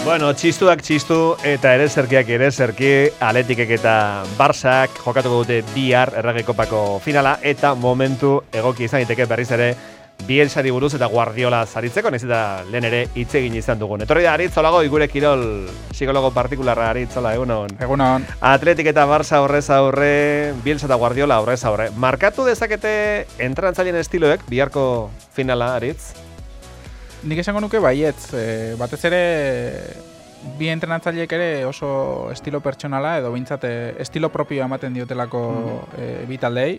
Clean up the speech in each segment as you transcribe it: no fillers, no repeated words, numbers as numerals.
Bueno, txistuak txistu eta ereserkiak ereserki, Atletikek eta Barsak jokatuko dute bihar Errege Kopako finala eta momentu egoki izan daiteke berriz ere Bielsari buruz eta Guardiola zaritzeko, nahiz eta lehen ere hitz egin izan dugun. Etorri da Aritz Olago, gure kirol psikologo partikularra Aritz, hola, egunon. Egunon. Atletik eta Barça horrez aurre, Bielsa eta Guardiola horrez aurre. Markatu dezakete entrenatzaileen estiloek biharko finala, Aritz? Nik esango nuke baietz, batez ere bi entrenatzaileek ere oso estilo pertsonala edo behintzat estilo propioa ematen diotelako bi taldei,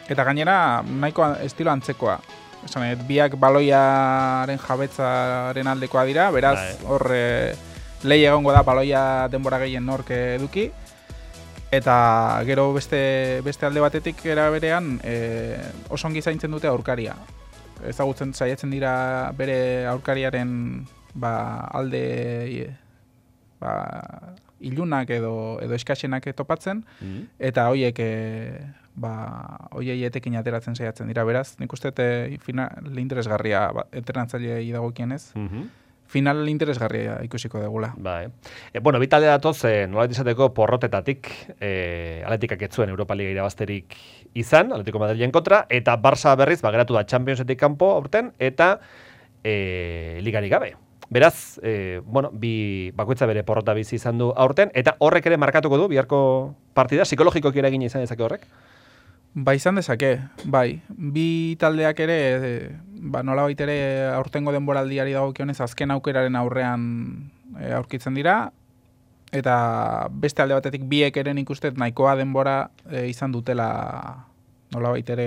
eta gainera nahiko estilo antzekoa. Esan, biak baloiaren jabetzaren aldekoa dira, beraz hor lehi egongo da baloia denbora gehien nork eduki, eta gero beste alde batetik era berean oso ongi zaintzen dute aurkaria. Ezagutzen saiatzen dira bere aurkariaren alde ilunak edo eskasenak topatzen, eta horiek hoiei etekin ateratzen saiatzen dira. Beraz, nik uste final interesgarria entrenatzailei dagokienez. Final interesgarria ikusiko degula. Bueno, bi talde datoz, nolabait izateko porrotetatik, Atletikak ez zuen Europa Liga irabazterik izan, Atletico Madrilen kontra, eta Barça berriz, geratu da Championsetik kanpo aurten, eta ligarik gabe. Beraz, bi bakoitza bere porrota bizi izan du aurten, eta horrek ere markatuko du, biharko partida, psikologikoki eragin izan dezake horrek? Izan dezake, bai. Bi taldeak ere, nolabait ere aurtengo denboraldiari dagokionez azken aukeraren aurrean aurkitzen dira, eta beste alde batetik biek ere nik uste nahikoa denbora izan dutela nolabait ere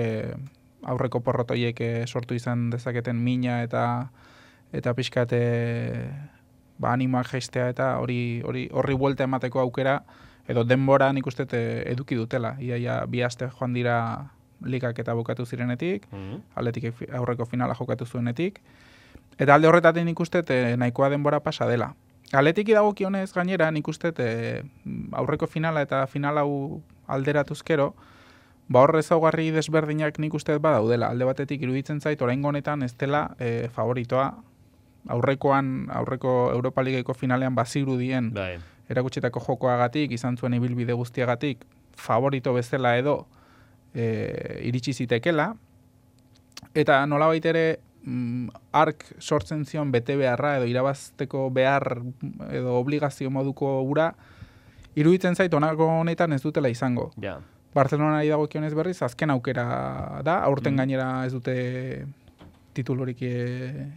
aurreko porrotoiek sortu izan dezaketen mina eta pixkat animoak jaistea eta horri buelta emateko aukera edo denbora nik uste eduki dutela. Ia bi aste joan dira ligak eta bukatu zirenetik, Atletik aurreko finala jokatu zuenetik, eta alde horretatik nik uste nahikoa denbora pasa dela. Atletiki dagokionez gainera nik uste aurreko finala eta final hau alderatuzkero, hor ezaugarri desberdinak nik uste badaudela. Alde batetik iruditzen zait oraingo honetan ez dela favoritoa aurreko Europa Ligako finalean bazirudien erakutsetako jokoagatik, izan zuen ibilbide guztiagatik, favorito bezala edo iritsi zitekela, eta nolabait ere ark sortzen zion bete beharra edo irabazteko behar edo obligazio moduko ura, iruditzen zait honako honetan ez dutela izango. Barcelonari dagokionez berriz, azken aukera da, aurten gainera ez dute titulurik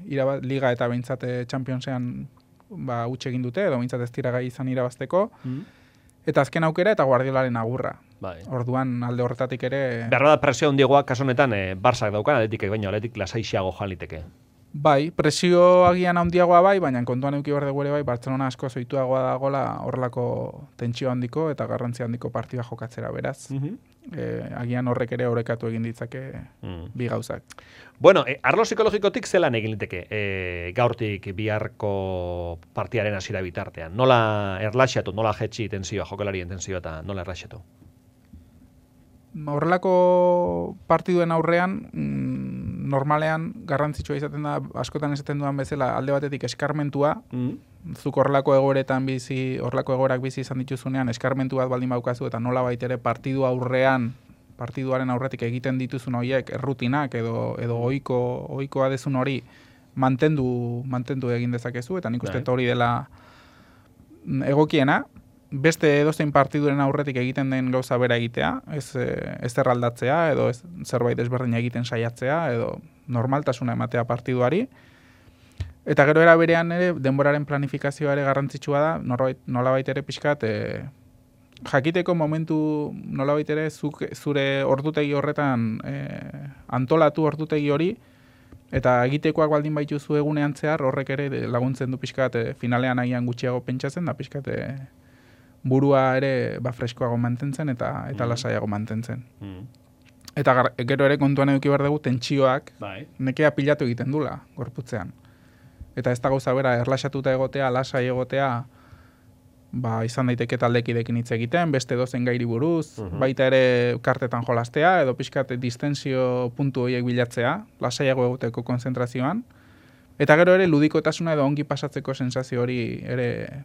liga eta behintzat Championsean utxe egin dute, edo behintzat ez dira gai izan irabazteko, eta azken aukera eta Guardiolaren agurra. Orduan alde horretatik ere... Behar da presio handiagoa kasu honetan Barsak daukan, Atletikek baino, Atletik lasaixeago joan liteke. Presio agian handiagoa baina kontuan eduki behar dugu ere Barcelona asko zoituagoa dagoela horrelako tentsio handiko eta garrantzi handiko partida jokatzera, beraz. Agian horrek ere orekatu egin ditzake bi gauzak. Bueno, arlo psikologikotik zelan egin liteke gaurtik biharko partidaren hasiera bitartean? Nola erlaxatu, nola jetxi tensioa, jokalarien tensioa eta nola erlaxatu? Horrelako partiduen aurrean, normalean garrantzitsua izaten da, askotan esaten dudan bezala, alde batetik eskarmentua, zuk horrelako egoerak bizi izan dituzunean, eskarmentu bat baldin baukazu, eta nola baitere partiduaren aurretik egiten dituzun horiek errutinak edo ohikoa dezun hori mantendu egin dezakezu, eta nik uste hori dela egokiena. Beste edozein partiduren aurretik egiten den gauza bera egitea, ez erraldatzea, edo zerbait desberdina egiten saiatzea, edo normaltasuna ematea partiduari. Eta gero era berean ere, denboraren planifikazioa ere garrantzitsua da, nolabait ere pixkat, jakiteko momentu nolabait ere zure ordutegi horretan antolatu ordutegi hori, eta egitekoak baldin baituzu egunean zehar, horrek ere laguntzen du pixkat finalean agian gutxiago pentsatzen, da pixkat burua ere freskoago mantentzen eta lasaiago mantentzen. Eta gero ere kontuan eduki behar dugu tentsioak nekea pilatu egiten dula gorputzean. Eta ez da gauza bera erlaxatuta egotea, lasai egotea, izan daiteke taldekidekin hitz egiten, beste dozen gairi buruz, baita ere kartetan jolastea, edo pixkat distensio puntu horiek bilatzea, lasaiago egoteko konzentrazioan, Eta gero ere ludikotasuna edo ongi pasatzeko sensazio hori ere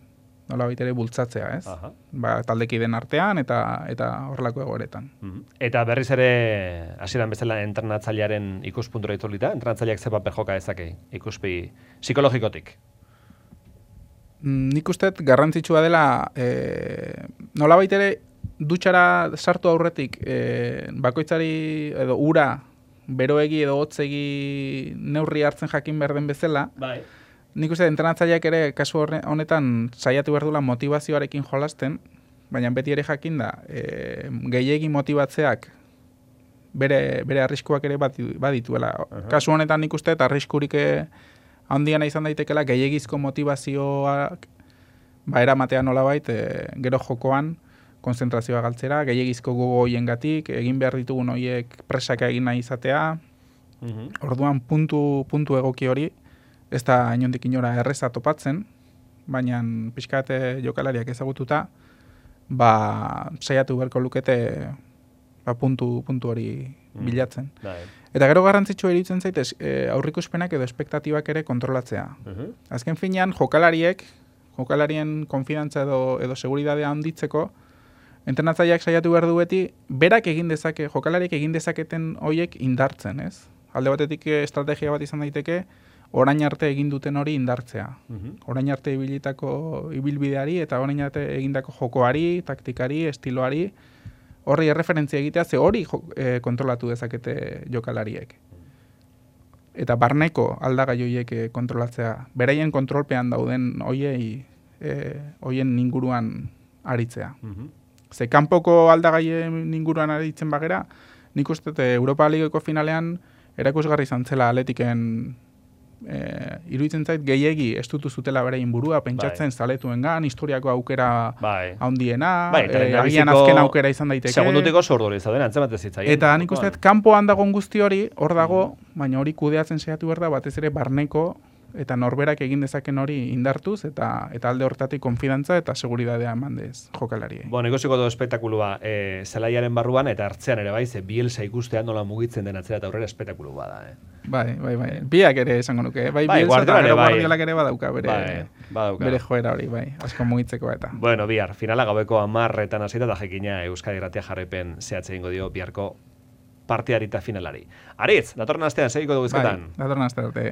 nolabait ere bultzatzea, ez? Aha. Ba, taldekideen artean eta horrelako egoeretan. Eta berriz ere, hasieran bezala entrenatzailearen ikuspuntura itzulita, entrenatzaileak ze paper joka dezake ikuspi psikologikotik? Nik uste garrantzitsua dela nolabait ere dutxara sartu aurretik bakoitzari edo ura beroegi edo hotzegi neurri hartzen jakin behar den bezala. Bai. Nik uste entrenatzaileak ere kasu honetan saiatu behar dula motivazioarekin jolasten, baina beti ere jakin da gehiegi motibatzeak bere arriskuak ere badituela. Kasu honetan nik uste arriskurik handiena izan daitekela gehiegizko motivazioak eramatea nolabait gero jokoan konzentrazioa galtzera, gehiegizko gogo hoiengatik, egin behar ditugun hoiek presaka egin nahi izatea. Orduan puntu egoki hori ez da inondik inora erreza topatzen, baina pixkate jokalariak ezagututa, saiatu beharko lukete puntu hori bilatzen. Eta gero garrantzitsua iruditzen zait aurrikuspenak edo espektatibak ere kontrolatzea. Azken finean jokalarien konfidantza edo seguridadea handitzeko, entrenatzaileak saiatu behar du beti, jokalariek egin dezaketen hoiek indartzen, ez? Alde batetik estrategia bat izan daiteke, orain arte egin duten hori indartzea. Orain arte ibilitako ibilbideari eta orain arte egindako jokoari, taktikari, estiloari, horri erreferentzia egitea, ze hori kontrolatu dezakete jokalariek. Eta barneko aldagai horiek kontrolatzea. Beraien kontrolpean dauden hoien inguruan aritzea. Ze kanpoko aldagaien inguruan aritzen bagera, nik uste Europa Ligako finalean erakusgarri izan zela Atletiken iruditzen zait gehiegi estutu zutela beraien burua, pentsatzen zaletuengan, historiako aukera handiena, agian azken aukera izan daiteke. Segundutiko zordori izaten, antzemate zitzaien. Eta nik uste kanpoan dagoen guzti hori, hor dago, baina hori kudeatzen saiatu behar da, batez ere barneko eta norberak egin dezaken hori indartuz, eta alde hortatik konfidantza eta seguridadea eman dez jokalari. Ikusiko du espektakulua zelaiaren barruan eta hartzean ere bai, ze Bielsa ikustean nola mugitzen den atzera eta aurrera espektakulu bada. Bai. Biak ere esango nuke. Bai, Bielsa eta gero Guardiolak ere badauka bere joera hori, bai, asko mugitzeko eta. Bihar, finala gaueko 10:00 hasita eta jakina Euskadi Irratia jarraipen zehatze egingo dio biharko partidarita finalari. Aritz, datorren astean segiko dugu izketan. Datorren astean arte.